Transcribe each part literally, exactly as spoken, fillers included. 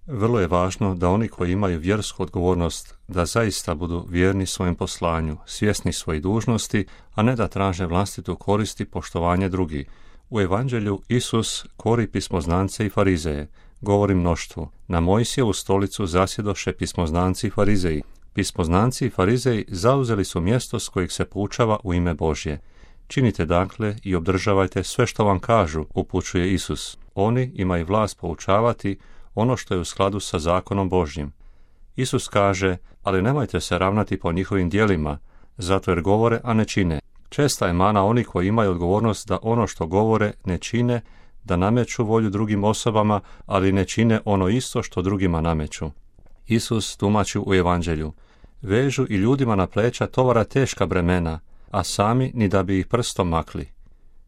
Vrlo je važno da oni koji imaju vjersku odgovornost da zaista budu vjerni svojem poslanju, svjesni svojih dužnosti, a ne da traže vlastitu korist i poštovanje drugih. U Evanđelju Isus kori pismoznance i farizeje, govori mnoštvu. Na Mojsijevu stolicu zasjedoše pismoznanci i farizeji. Pismoznanci i farizeji zauzeli su mjesto s kojeg se poučava u ime Božje. Činite dakle i obdržavajte sve što vam kažu, upućuje Isus. Oni imaju vlast poučavati ono što je u skladu sa zakonom Božjim. Isus kaže, ali nemojte se ravnati po njihovim djelima, zato jer govore, a ne čine. Česta je mana oni koji imaju odgovornost da ono što govore ne čine, da nameću volju drugim osobama, ali ne čine ono isto što drugima nameću. Isus tumači u Evanđelju, vežu i ljudima na pleća tovara teška bremena, a sami ni da bi ih prstom makli.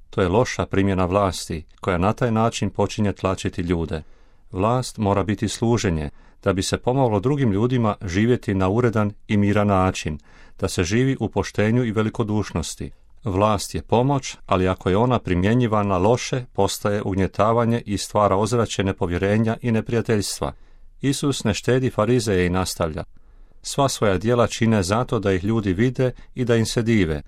To je loša primjena vlasti, koja na taj način počinje tlačiti ljude. Vlast mora biti služenje, da bi se pomoglo drugim ljudima živjeti na uredan i miran način, da se živi u poštenju i velikodušnosti. Vlast je pomoć, ali ako je ona primjenjivana loše, postaje ugnjetavanje i stvara ozračje nepovjerenja i neprijateljstva. Isus ne štedi farizeje i nastavlja. Sva svoja djela čine zato da ih ljudi vide i da im se dive.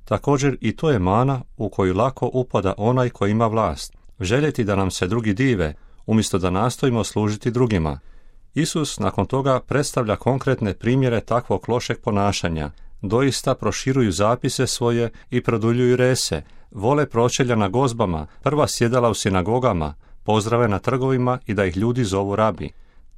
Također i to je mana u koju lako upada onaj koji ima vlast. Željeti da nam se drugi dive, umjesto da nastojimo služiti drugima. Isus nakon toga predstavlja konkretne primjere takvog lošeg ponašanja. Doista proširuju zapise svoje i produljuju rese, vole pročelja na gozbama, prva sjedala u sinagogama, pozdrave na trgovima i da ih ljudi zovu rabi.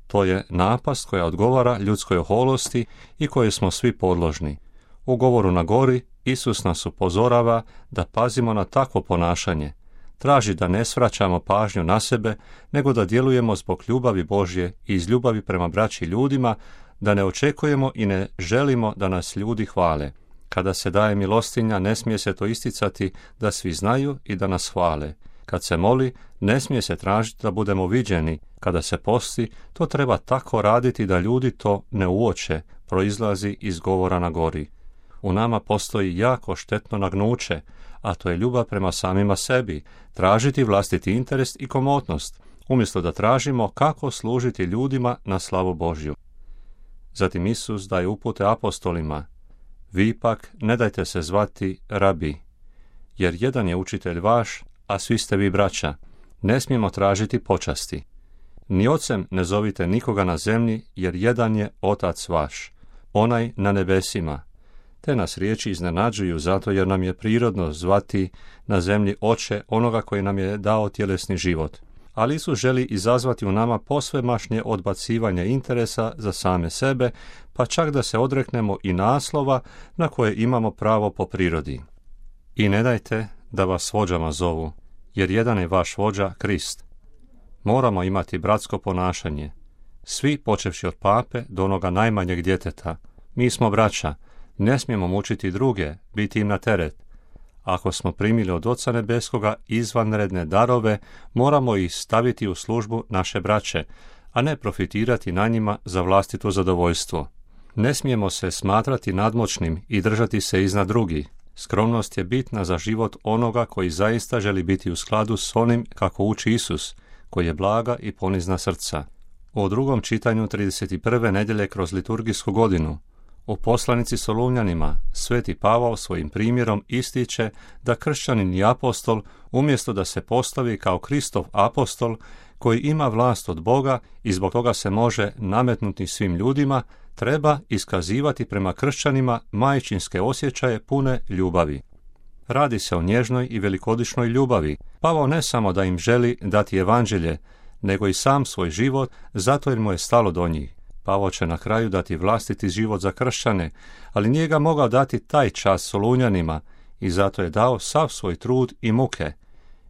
To je napast koja odgovara ljudskoj oholosti i koje smo svi podložni. U govoru na gori Isus nas upozorava da pazimo na takvo ponašanje. Traži da ne svraćamo pažnju na sebe, nego da djelujemo zbog ljubavi Božje i iz ljubavi prema braći ljudima, da ne očekujemo i ne želimo da nas ljudi hvale. Kada se daje milostinja, ne smije se to isticati da svi znaju i da nas hvale. Kad se moli, ne smije se tražiti da budemo viđeni. Kada se posti, to treba tako raditi da ljudi to ne uoče, proizlazi iz govora na gori. U nama postoji jako štetno nagnuće, a to je ljubav prema samima sebi, tražiti vlastiti interes i komotnost, umjesto da tražimo kako služiti ljudima na slavu Božju. Zatim Isus daje upute apostolima. Vi ipak ne dajte se zvati rabi, jer jedan je učitelj vaš, a svi ste vi braća. Ne smijemo tražiti počasti. Ni ocem ne zovite nikoga na zemlji, jer jedan je otac vaš, onaj na nebesima. Te nas riječi iznenađuju zato jer nam je prirodno zvati na zemlji oče onoga koji nam je dao tjelesni život. Ali Isus želi izazvati u nama posvemašnje odbacivanje interesa za same sebe, pa čak da se odreknemo i naslova na koje imamo pravo po prirodi. I ne dajte da vas vođama zovu, jer jedan je vaš vođa Krist. Moramo imati bratsko ponašanje. Svi, počevši od pape do onoga najmanjeg djeteta, mi smo braća, ne smijemo mučiti druge, biti im na teret. Ako smo primili od Oca Nebeskoga izvanredne darove, moramo ih staviti u službu naše braće, a ne profitirati na njima za vlastito zadovoljstvo. Ne smijemo se smatrati nadmoćnim i držati se iznad drugih. Skromnost je bitna za život onoga koji zaista želi biti u skladu s onim kako uči Isus, koji je blaga i ponizna srca. U drugom čitanju trideset prve nedjelje kroz liturgijsku godinu, u poslanici Solunjanima, sveti Pavao svojim primjerom ističe da kršćanin i apostol, umjesto da se postavi kao Kristov apostol, koji ima vlast od Boga i zbog toga se može nametnuti svim ljudima, treba iskazivati prema kršćanima majčinske osjećaje pune ljubavi. Radi se o nježnoj i velikodušnoj ljubavi. Pavao ne samo da im želi dati evanđelje, nego i sam svoj život, zato jer mu je stalo do njih. Pavao će na kraju dati vlastiti život za kršćane, ali nije ga mogao dati taj čas Solunjanima i zato je dao sav svoj trud i muke.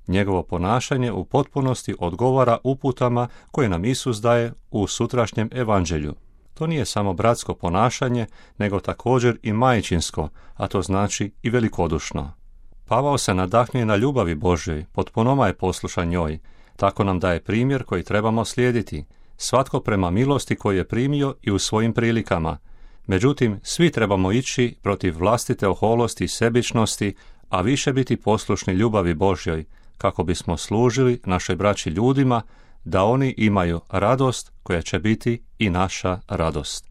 Njegovo ponašanje u potpunosti odgovara uputama koje nam Isus daje u sutrašnjem evanđelju. To nije samo bratsko ponašanje, nego također i majčinsko, a to znači i velikodušno. Pavao se nadahnuje na ljubavi Božjoj, potpunoma je poslušan njoj. Tako nam daje primjer koji trebamo slijediti, svatko prema milosti koju je primio i u svojim prilikama. Međutim, svi trebamo ići protiv vlastite oholosti i sebičnosti, a više biti poslušni ljubavi Božjoj, kako bismo služili našoj braći ljudima, da oni imaju radost koja će biti i naša radost.